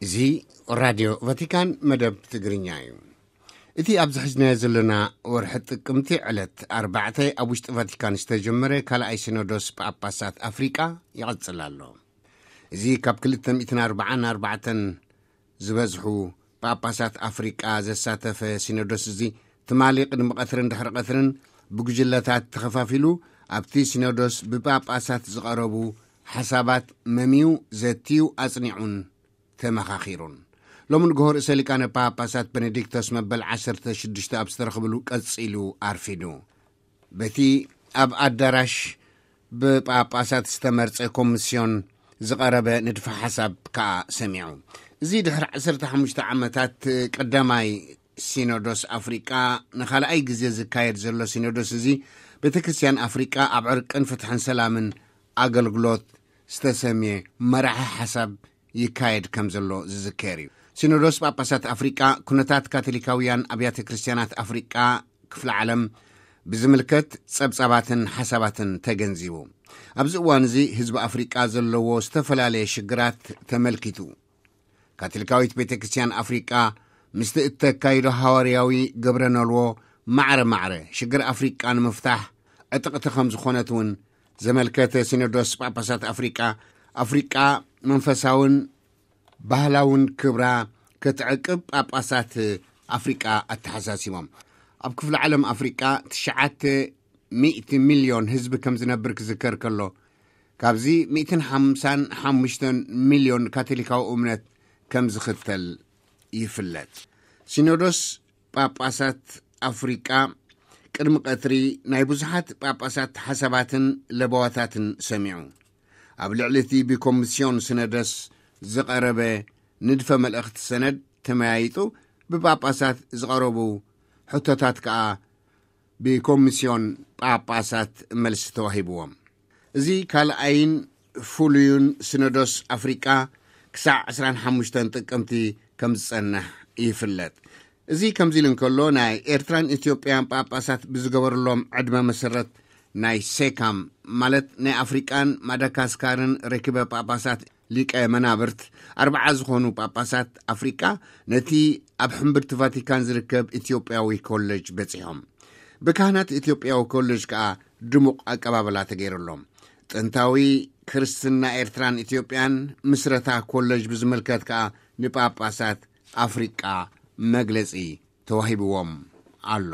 እዚ ራድዮ ቫቲካን መደብ ትግርኛ እዩ። እቲ ኣብዚ ሕዝናዮ ዘለና ወርሒ ጥቅምቲ ዕለት ኣርባዕተ ኣብ ውሽጢ ቫቲካን ዝተጀመረ ካልኣይ ሲኖዶስ ጳጳሳት ኣፍሪቃ ይቐጽል ኣሎ። እዚ ካብ ክልተ ሚእትን ኣርባዓን ኣርባዕተን ዝበዝሑ ጳጳሳት ኣፍሪቃ ዘሳተፈ ሲኖዶስ እዚ ትማሊ ቅድሚ ቀትርን ድሕሪ ቀትርን ብጉጅለታት ተኸፋፊሉ ኣብቲ ሲኖዶስ ብጳጳሳት ዝቐረቡ ሓሳባት መምዩ፣ ዘትዩ፣ ኣጽኒዑን ተመኻኺሩን። ሎሚ ንግሆ ርእሰ ሊቃነ ጳጳሳት ቤኔዲክቶስ መበል ዓሰርተ ሽዱሽተ ኣብ ዝተረኽብሉ ቀጺሉ ኣርፊዱ። በቲ ኣብ ኣዳራሽ ብጳጳሳት ዝተመርጸ ኮሚስዮን ዝቐረበ ንድፈ ሓሳብ ከኣ ሰሚዑ። እዚ ድሕሪ ዓሰርተ ሓሙሽተ ዓመታት ቀዳማይ ሲኖዶስ ኣፍሪቃ ንኻልኣይ ግዜ ዝካየድ ዘሎ ሲኖዶስ እዚ፣ ቤተ ክርስቲያን ኣፍሪቃ ኣብ ዕርቅን ፍትሕን ሰላምን ኣገልግሎት ዝተሰምየ መራሒ ሓሳብ ይካየድ ከም ዘሎ ዝዝከር እዩ። ሲኖዶስ ጳጳሳት ኣፍሪቃ ኩነታት ካቶሊካውያን ኣብያተ ክርስቲያናት ኣፍሪቃ ክፍለ ዓለም ብዝምልከት ጸብጻባትን ሓሳባትን ተገንዚቡ። ኣብዚ እዋን እዚ ህዝቢ ኣፍሪቃ ዘለዎ ዝተፈላለየ ሽግራት ተመልኪቱ። ካቶሊካዊት ቤተ ክርስቲያን ኣፍሪቃ ምስቲ እተካይዶ ሃዋርያዊ ግብረ ነልዎ ማዕረ ማዕረ ሽግር ኣፍሪቃ ንምፍታሕ ዕጥቕቲ ከም ዝኾነት እውን ዘመልከተ ሲኖዶስ ጳጳሳት ኣፍሪቃ፣ ኣፍሪቃ መንፈሳውን ባህላውን ክብራ ክትዕቅብ ጳጳሳት ኣፍሪቃ ኣተሓሳሲቦም። ኣብ ክፍለ ዓለም ኣፍሪቃ ትሽዓተ ሚእቲ ሚልዮን ህዝቢ ከም ዝነብር ክዝከር ከሎ፣ ካብዚ ሚእትን ሓምሳን ሓሙሽተን ሚልዮን ካቶሊካዊ እምነት ከም ዝኽተል ይፍለጥ። ሲኖዶስ ጳጳሳት ኣፍሪቃ ቅድሚ ቀትሪ ናይ ብዙሓት ጳጳሳት ሓሳባትን ለበዋታትን ሰሚዑ። ኣብ ልዕሊ እቲ ብኮሚስዮን ሲኖዶስ ዝቐረበ ንድፈ መልእኽቲ ሰነድ ተመያይጡ ብጳጳሳት ዝቐረቡ ሕቶታት ከኣ ብኮሚስዮን ጳጳሳት መልሲ ተዋሂብዎም። እዚ ካልኣይን ፍሉዩን ሲኖዶስ ኣፍሪቃ ክሳዕ ዕስራን ሓሙሽተን ጥቅምቲ ከም ዝጸንሕ ይፍለጥ። እዚ ከምዚ ኢሉ እንከሎ፣ ናይ ኤርትራን ኢትዮጵያን ጳጳሳት ብዝገበርሎም ዕድመ መሰረት ናይ ሴካም፣ ማለት ናይ ኣፍሪቃን ማዳጋስካርን ርክበ ጳጳሳት ሊቀ መናብርት፣ ኣርብዓ ዝኾኑ ጳጳሳት ኣፍሪቃ ነቲ ኣብ ሕምብርቲ ቫቲካን ዝርከብ ኢትዮጵያዊ ኮሌጅ በጺሖም። ብካህናት ኢትዮጵያዊ ኮሌጅ ከኣ ድሙቕ ኣቀባበላ ተገይሩሎም። ጥንታዊ ክርስትና ኤርትራን ኢትዮጵያን ምስረታ ኮሌጅ ብዝምልከት ከኣ ንጳጳሳት ኣፍሪቃ መግለጺ ተዋሂብዎም ኣሎ።